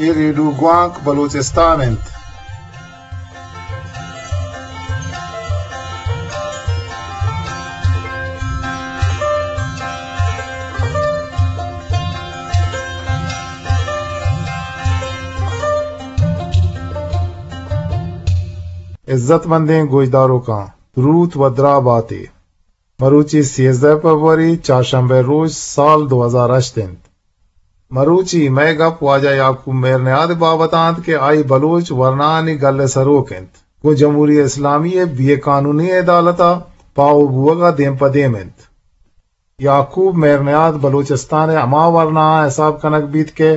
اے ریڈیو گوانک بلوچستان انت۔ عزت مندیں گوشداروکاں، دروت و دراہ باتے۔ مروچی سیزدہ فبروری، چارشنبہ روچ، سال دو ہزار ہشت انت۔ مروچی مئے گپ واجہ یعقوب مہرنیاد ء بابت ء انت کہ آئی بلوچ ورناہانی گل ء سروک انت، گوں جمہوری اسلامی ء بے قانونی عدالت ء پاہو بوہگ ء دیم پہ دیم انت۔ یعقوب مہرنیاد بلوچستان ء ہما ورناہاں حساب کنگ بیت کہ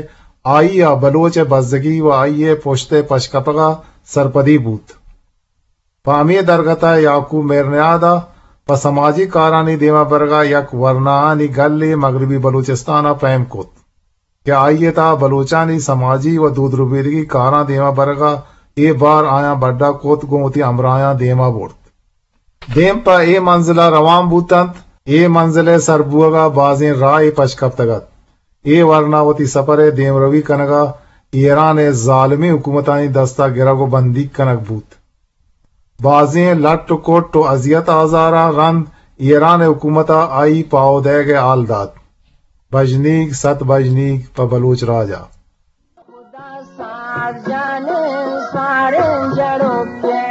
آئی ء بلوچ ء بزگی و آئی ء پشت ء پشکپگ ء سرپدی بوت۔ پہ ہمے درگت ء یعقوب مہرنیاد ء پہ سماجی کارانی دیما برگ ء یک ورناہانی گلے مغربی بلوچستان ء پہم کت کہ آئی ء تہا بلوچانی سماجی و دود ربیدگی کاراں دیما برگ ء اے بار آیاں بڈا کت گوں وتی ہمراہیاں دیما برت۔ دیم پہ اے منزل ء روان بوت انت۔ اے منزل ء سر بوہگ ء بازیں راہے پش کپتگ ات۔ اے ورنا وتی سپر ء دیمروی کنگ ء ایران ء ظالمیں حکومتانی دست ء گرگ و بندیگ کنگ بوت۔ بازیں لٹ و کٹ و اذیت آزاراں رند ایران ء حکومت ء آئی پاہو دئیگ ء ہال دات۔ بژنیگ، ست بژنیگ پہ بلوچ راج ء۔ خدا صاحب جانے سارے جڑوکے،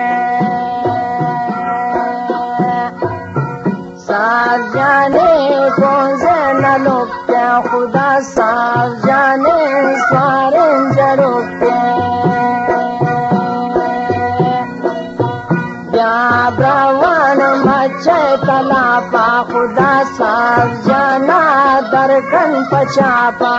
صاحب جانے کون سے نلوکے، خدا صاحب جانے سارے جڑوکے۔ بیا براوان مچے تلاپا، خدا صاحب جانا درکن پچاپا۔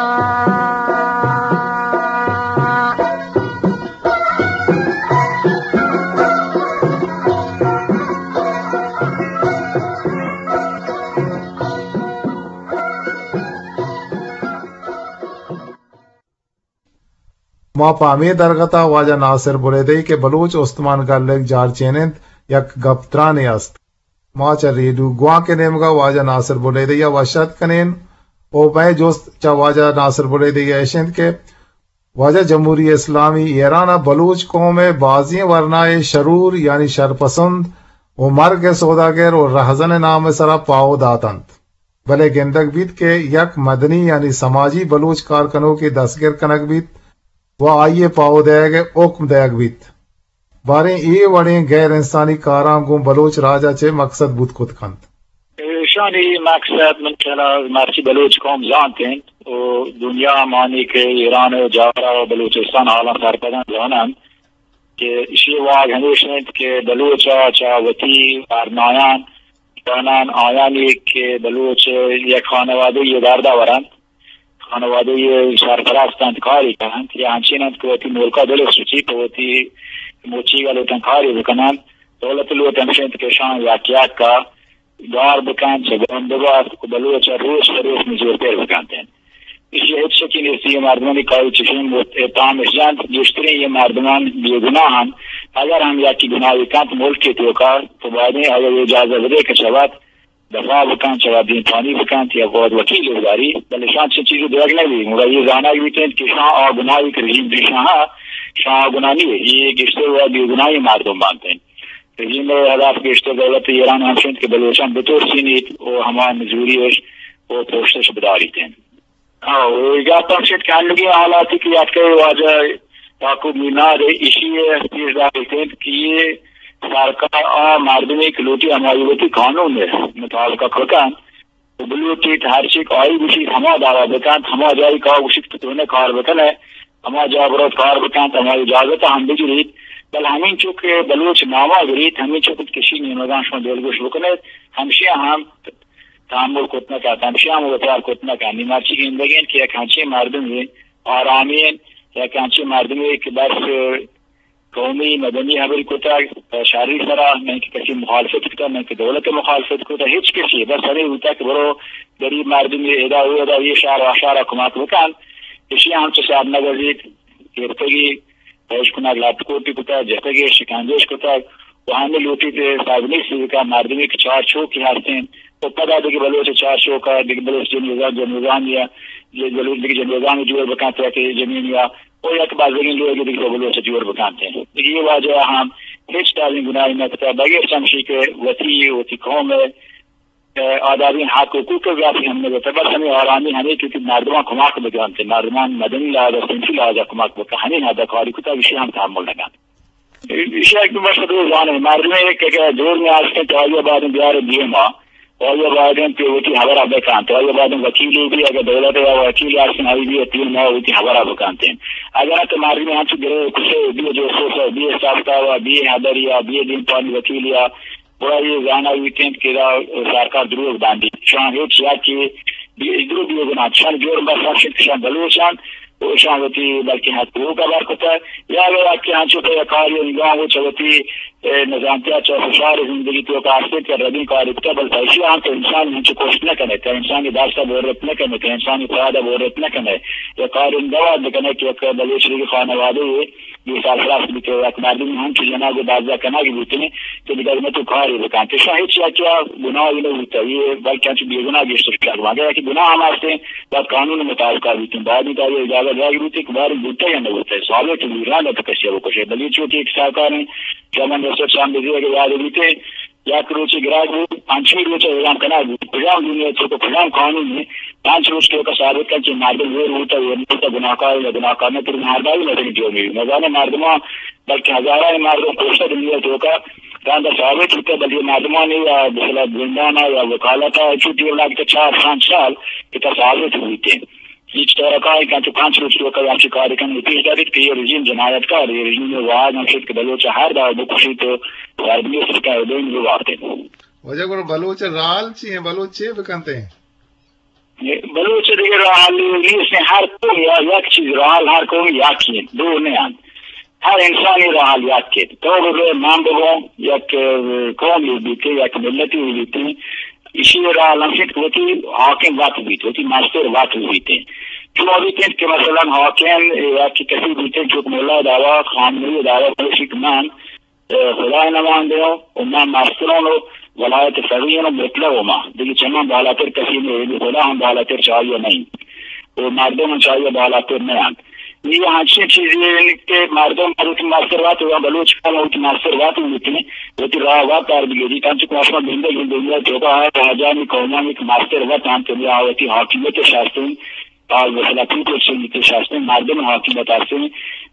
ما پہ ہمے درگت ء واجہ ناصر بلیدئی کہ بلوچ استمان گل ء جارچین انت، یک گپ ترانے است۔ ما چہ ریڈیو گوانک ء نیمگ ء واجہ ناصر بلیدئی ء وش اتک کنین و مئے جست چہ واجہ ناصر بلیدئی ء اش انت کہ واجہ جمہوری اسلامی ایران ء بلوچ قوم ء بازیں ورنائے شرور یعنی شرپسند و مرگ ء سوداگر و رہزن ء نام ء سرا پاہو دات انت۔ بلے گندگ بیت کہ یک مدنی یعنی سماجی بلوچ کار کنوکے دستگر کنگ بیت و آئی ء پاہو دئیگ ء حکم دئیگ بیت۔ باریں اے وڑیں غیر انسانی کاراں گوں بلوچ راج ء چہ مقصد بوت کت کنت۔ ایشانی مقصد من خیال ء مرچی بلوچ قوم زانت انت و دنیا ء مانی کہ ایران ء جاورا و بلوچستان حالاں سرپداں زاننت۔ کہ ایشی واہگ ہمیش انت کہ بلوچ ء چہ وتی ورنایان، جنان آیانی کہ بلوچ یک خانوادہ یے درد ورنت، خانوادہ یے سرپرست انت، کاری کننت، یا انچین انت کہ وتی ملک ء دل سوچی پہ وتی مچی ء لوٹن کاری بکننت، دولت لوٹ ہمیش انت کہ شان یک یک ء گار بکنت، چہ گون ببارت و بلوچ ء روچ پہ روچ نزورتر بکنت انت۔ ایشی ء ہچ شکی نیست، اے مردمانی کاری چشیں اتہام اش جنت، گیشتریں اے مردمان بے گناہ انت۔ اگر ہم یکے گناہے کنت ملک ء توکا، تو بایدیں آئی ء اجازہ بدے کہ شود دفاع بکنت، شود دیمپانی بکنت یا گواد وکیل بداری، بلے شان چنین چیزے دیگ نہ بیت۔ گڑا اے زانگ بیت انت کہ شان آ گناہے کہ رژیم دیشان ہا، شان آ گناہ نیست، اے گیشتر و بے گناہیں مردم بنت انت۔ رژیم ء ہدف گیشتر دولت ایران ہمش انت کہ بلوچاں بترسینیت و ہما نزوری اش و پشتش بداریت انت۔ ہاں، و اے گپ ہمش انت کہ انوگیں حالاتی کہ اتکگ واجہ یعقوب میناد ء ایشی ء پیش داریت انت کہ اے سرکار آ مردمے کہ لوٹی ہمائی وتی قانون ء مطابق ء کتنت، و بلوٹیت ہرچی کہ آئی گوشیت ہما دعوی بکنت، ہما جاہے کہ آ گوشیت کہ تو نہ کار بکن ئے، ہما جاہ بروت کار بکنت، ہما اجازت ہم بگریت، بل ہمینچو کہ بلوچ ناما گریت، ہمینچو کہ کشی نیمگاں شما دلگوش بکن ایت، ہمشی ہم تحمل کت نہ کنت، ہمشی ہم وپار کت نہ کنت۔ نی مرچی گندگین کہ یک ہنچیں مردمے آرامین، یک ہنچیں مردمے کہ بس قومی مدنی ہبری کتگ، شری سرا نہ کہ کسی مخالفت کتگ، نہ کہ دولت مخالفت کتگ، ہچ کسی، بس ہمے بوتگ کہ برو گریب مردمے ادا و ادا، اے شہر و آ شہر کمک بکن، اشی ہم چو سر نگزیت، گرتگی، پیش کنگ، لٹ کوٹی کتگ، جتگی، شکنجش کتگ، و ہمے لوٹیت سازنی سیوکا مردمی کہ چار چوکی ہستیں، و پدا دگہ بلوچ چار چوکا، دگہ بلوچ جنوزان، جنوزانی یہ بلوچ دگہ جنوگانی جوڑ بکنت، یا کہ زمین یا او یک بازگیں لوگے دگہ بلوچ جوڑ بکنت۔ دگہ یہ واجہ ہم ہچ ڈالیں گناہی نہ کتا، بغیر چمشی کہ وتی، وتی قوم ء آدابیں حق حقوق ء گپ ہم نہ بوتہ، بس ہمے آرامی ہمے کہ وتی مردمان کمک بکنت، مردمان مدنی لحاظ ء صنفی لحاظ ء کمک بکن، ہمے حد ء کاری کتا، ایشی ہم تحمل نہ کنت۔ ایشی ء کہ بس دو زانے، مردمے کہ اگہ جرمے ہست انت، آئی ء باید انت بیار دیما، آئی ء باید انت کہ وتی ہبر ء بکنت، آئی ء باید انت وکیلے بی، اگہ دولت ء یا وکیلے ہست انت، آئی بی ء دیما وتی ہبر ء بکنت۔ اگہ نہ تو مردمے ہنچو گرے کسے بی، جاسوس ء بی، ساختہ ء بی، ہبری ء بی، دیمپانی وکیلے ء گڑا اے زانگ بیت انت کہ ادا سرکار دروگ بندیت۔ شان ہچ یکے بی-، دروگ بیگ نہ انت۔ شان جرم بس ہمیش انت کہ شان بلوچ انت و شان وتی بلکیں حق حقوق ء بر کتہ۔ یا اگہ یکے انچو کہ کاری انگام و چہ وتی، اے، نزانتی ء چہ فشار زندگی توکا ہست انت کہ ردیں کاری کتہ، بل پہ ایشی ہم تو انسان انچو کشت نہ کنئے، تو انسانی دست ء برت نہ کنئے، تو انسانی پاد ء برت نہ کنئے، یا کاری انگام بکنئے کہ یک بلوچ دگہ خانوادہ یے بے سرپرست بیت، یک مردمے ہنچو جنگ و دزہ کنگ بوتیں کہ دگہ نہ تو کارے بکنت۔ ایشاں ہچ یکے ء گناہے نہ بوتہ، اے بلکہ انچو بے گناہ گیشتر شر بنت۔ اگہ یکے گناہ ہم ہستیں، باید قانون مطابق بوتیں، باید انت آئی اجازت دیگ بوتیں کہ باریں بوتہ یا نہ بوتہ، ثابت بی، رند ء تو کسے ء بکشے۔ بلے چو کہ یک ساہکاریں چمن رسد شام بزی اگہ یاد بیتیں، یک روچے گراگ بوت، پنچمی روچ ء اعلان کنگ بوت۔ کجام دنیا ء توکا کجام قانون ء پنچ روچ توکا ثابت کنت کہ مردم ہور بوتہ، ہور نہ بوتہ، گناہکار یا گناہکار نہ، ترا مہرداری نہ کنی دیو میری۔ نزانیں مردماں بلکہ ہزارانی مردم کشتہ دنیا ء توکا، رند ء ثابت بوتہ، بلے مردمانی یا مثلا زندان ء یا وکالت ء چو دیر لگتہ چار پنچ سال کہ تا ثابت بوتیں۔ ہچ طور ء کار کنت، پنچ روچ توکا ہمچی کار کنت، پیش داریت کہ یہ رژیم جنایت کار، یہ رژیم واہگ ہم شد کہ بلوچ ء ہر داہ بکشیت و سربیت کہ بین ببارتیں۔ واجہ گڑا بلوچ ء راہ حل چی ہیں؟ بلوچ چے بکنت ہیں؟ بلوچ ء دگہ راہ حل نیست، ہر قوم یا یک چیز راہ حل، ہر قوم یکی انت، دو نہ انت۔ ہر انسانی راہ حل یک انت۔ تو بگو من بگو یک، اه، قومے بیتیں، یک ملتے بیتیں، ایشی راہ حل ہمیش انت کہ وتی حاکم وت بیت، وتی مستر وت بیتیں۔ چو بیتیں کہ مثلا حاکم یا کہ کسی بیتیں، چو ملا دعوی، خامنہ ای دعوی، بلوچی کہ من اه، خدائے نمائندہ ہوں و ما مستران و ولایت فقیہ ہوں، مطلق و ما دگہ چمان بالاتر کسی نہیں، خدا ہم بالاتر چاہیے نہیں، و مردم ہم چاہیے بالاتر نہیں انت۔ یہ ہنچین چیزی ہیں کہ مردم وتی مستر وت و بلوچ قوم وتی مستر وت ہوتی، وتی راہ وت پر بگیری، تنچو کہ شما گندگ دنیا توکا ہے، راجانی قومانی کہ مستر وت ہم کہ وتی حاکمیت شاستن، آ مثلا پیپلز سوسائٹی ہستیں، مردم حاکمیت ہستیں،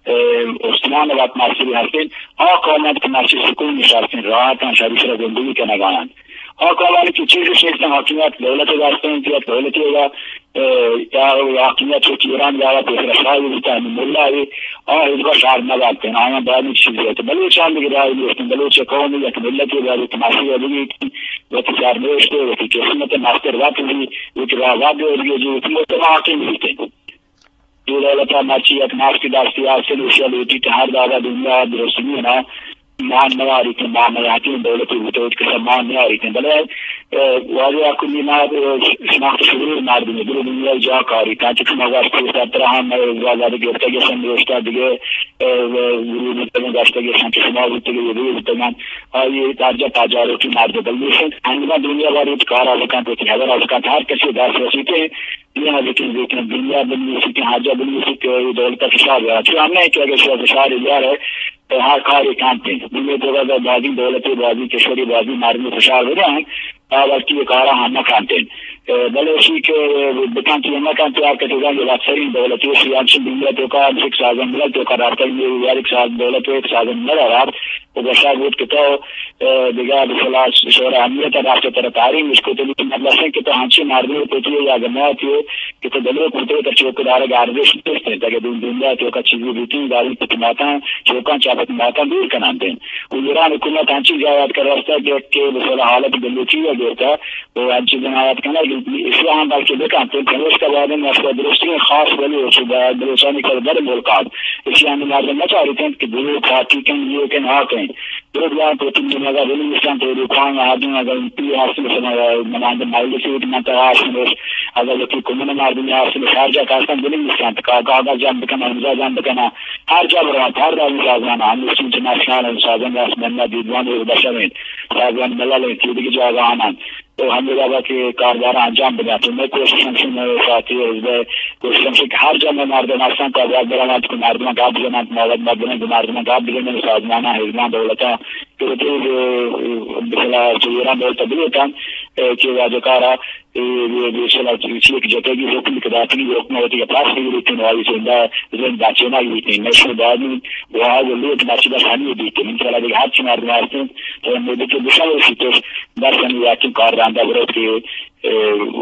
اه، استمان وت مستری ہستیں، آ قوماں کہ مرچی سکون نشتیں، راحتاں، شری سرا زندگی کنگا انت۔ آ قومانی کہ چیز نیستیں، حاکمیت دولت ہستیں، یا دولت یا، اه، یا حاکمیت چو ایران یا پیسر شاہی بیتا، ہمیں ملا ہے، آ حزب شہر نہ باتیں، آیاں باید چیز ہے۔ تو بلوچاں بھی رائے نیستیں، بلوچ قوم یک ملت یا یک ماشی ہے، وتی سرنوشت ء، وتی قسمت ء مستر وت بی، وتی راہ وت بی، وتی مجتمع حاکم بیت۔ اے دولت ء مرچی یک نفسی دستی است، ایشی ء لوٹیت ہر دابا دنیا ء درستگین ء مان نیاریت، مان نیاتیں دولت بوتگ ات کہ مان نیاریت۔ بلے، اه، واجہ کلی ما، اه، شناخت شعور مردم دل دنیا جا کاری تا چک ما واسطے سر ترا ہم، اه، زیادہ گرتگ سن دوستا دیگه، اه، گروہ بوتگ، گشتگ سن چشما بوتگ، یہ بوتگ۔ آئی درجہ پجاروکی مرد بلوچ انت۔ انگت دنیا باری کارا بکنت، وتی ہبرا بکنت، ہر کسی دست رسیتے، یہ نہ لیکن لیکن دنیا بلوچ کہ ہر جا بلوچ کہ یہ دولت فشار رہا۔ چون ہم نہیں کہ اگر شو فشار یار ہے، تو ہر کار کانتے۔ دنیا تو بازی دولت، بازی کشوری، بازی مردم فشار بدن، تا وقتی یہ کارا ہم نہ کانتے۔ بلے اشی کہ بکن تو نہ کانتے، ہر کسی جان اکثرین دولت، یہ سیاسی دنیا تو کا، ایک سازن ملک تو کا رابطہ، یہ یار ایک ساز دولت، ایک سازن ملک و گوشگ بوت کہ تو، اه، دگہ بسلا شورا اہمیت رفت تر تاریم اس کو تو مطلب کہ تو ہنچی مردم کو تو یا جماعت ہو کہ تو دلو کو تو چوکدار ارزش نیست۔ اگہ دون دنیا تو کا چیزی بیتی داری تو ماتا چوکاں چاپت ماتا دور کنان دین۔ و ایران حکومت ہنچی جا یاد کر راستا کہ، کہ بسلا حالت بلوچی یا دیتا و ہنچی جنایت کنگ، ایشی ہم بلکہ بکنت، پمیشکا باید انت مشورہ درستیں خاص بلوچ و بلوچانی کل بر ملکات، ایشی ہم مردم نچاریت انت کہ دو پارٹی کن، یہ کن، آ کن۔ دو بیان تو تم دن اگر بلوچستان تو دو پانگ آدم اگر ایم پی ہست، مثلا نمائندہ مجلس ایت من ترا آش نوش، اگاں وتی کمون ءِ مردم ہستن، ہر جا کہ ہستن، بنویسنت، کاگد جم بکنن، امضا جم بکنن، ہر جا برنت، ہر دائمی سازمان، ہمے چنچو نشان سازمان راست منا دیدوان و بشر انت، سازمان ملل انت، چیدگی جاگہ آنان، تو ہمے جاگہ کہ کاردار انجام بدنت۔ تو مئے کوشش ہمشی، مئے ساتھی حزب ءِ کوشش ہمشی کہ ہر جا مئے مردم ہستن، کاگد برنت، کہ مردم گپ بزننت، مواد مردم، کہ مردم گپ بزننت، سازمان، حزبان، دولتان، کہ وتی، مثلا، ایران دولت بلیتن، کہ واجہ کارا اے، اے، اے، چلا چی، چی کہ جتگی حکم کہ داتگی، حکم وتی کہ پاس بگیریت، آئی زندہ، زند بچینگ بیت، نشر دادی، واہ و لوٹ بچ بس ہمے بیت۔ من چلا دیگہ ہرچی مردم ہستن، تو مدت بشن رسیتش، بس ہمے یقین کار رندا بروت کہ، اے،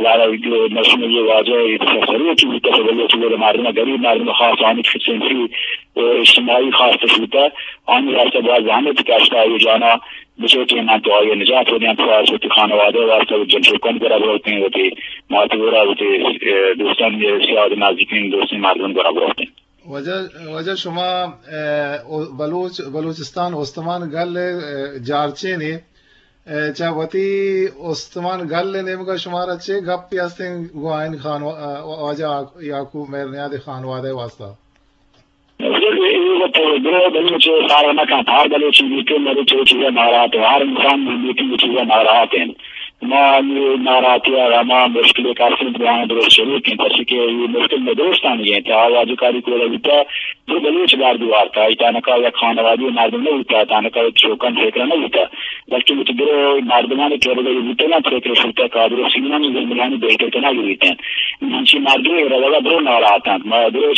وارا نشر یہ واجہ، اے، سروکی بیت، بلوچ مردم، غریب مردم، خاص آنی سنفی و اجتماعی خاص تشوتا، آنی واسطہ باز زحمت کشتا، یہ جانا بچوکیں من تو آئی نجات ودیں، تو آس وتی خانوادہ واسطہ و جنچوکانی گورا بروتیں، وتی مات گورا، وتی، اے، دوستان، اے، سیاد نزدیکیں دوستیں مردم گورا بروتیں۔ واجہ، واجہ شما، اے، او-، بلوچ، بلوچستان استمان گل، اے، جارچین اے، اے، چہ وتی استمان گل نیمگا شمارا چے گپی ہستیں گوں آئین خانو-، اے، واجہ یعقوب مہرنیاد خانوادہ واسطہ؟ اے وت درو بلوچ سارا نہ کنت، ہر بلوچی بیتیں، بلوچ چیزا ناراحت ہے، ہر انسان بیتیں چیزا ناراحت ہیں۔ ما یہ ناراحتی ہے، ہما مشکل کاسن بہان درست شروع کن، پرچہ کہ یہ مشکل میں درستان یہ ہیں، آواز کاری کو لگتا، درو بلوچ بار دوارتا، اتانکا یک خانوادی مردم نہ ہوتا، اتانکا یک چوکن فکر نہ ہوتا، بلکہ وتی درو مردمانی کرد یہ بوتنا فکر شروع کا درو سینانی زندگانی بہتر کنا گریتیں۔ انچی مردم روگا درو ناراحت ہیں، ما درو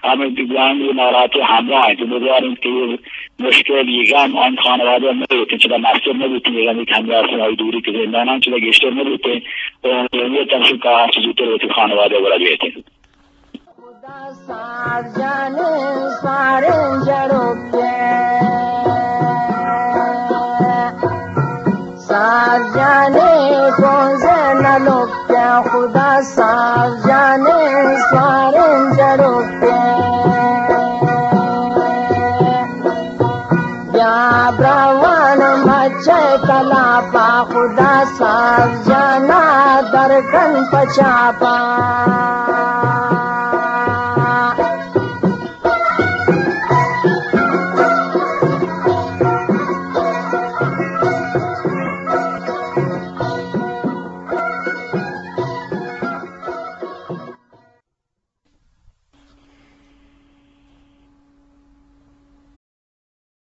ہمے گرانی ناراحتی ہمراہ انت، امیدوار انت کہ یہ مشکل، یہ غم آن خانوادہ نہ بیت، چدا مستر نہ بیت، یہ غمی کہ ہمیں آسان آئی دوری کہ زندانان چدا گیشتر نہ بیت، و یہ تنسل کا ہر چیز زودتر وتی خانوادہ گورا بیت۔ خدا صاحب جانے سارے جڑو کے ساز جانے پونزے نہ لوکیں، خدا ساز جانے سواریں جڑوکیں۔ بیا براوان مچے تلاپا، خدا ساز جانا درکن پچاپا۔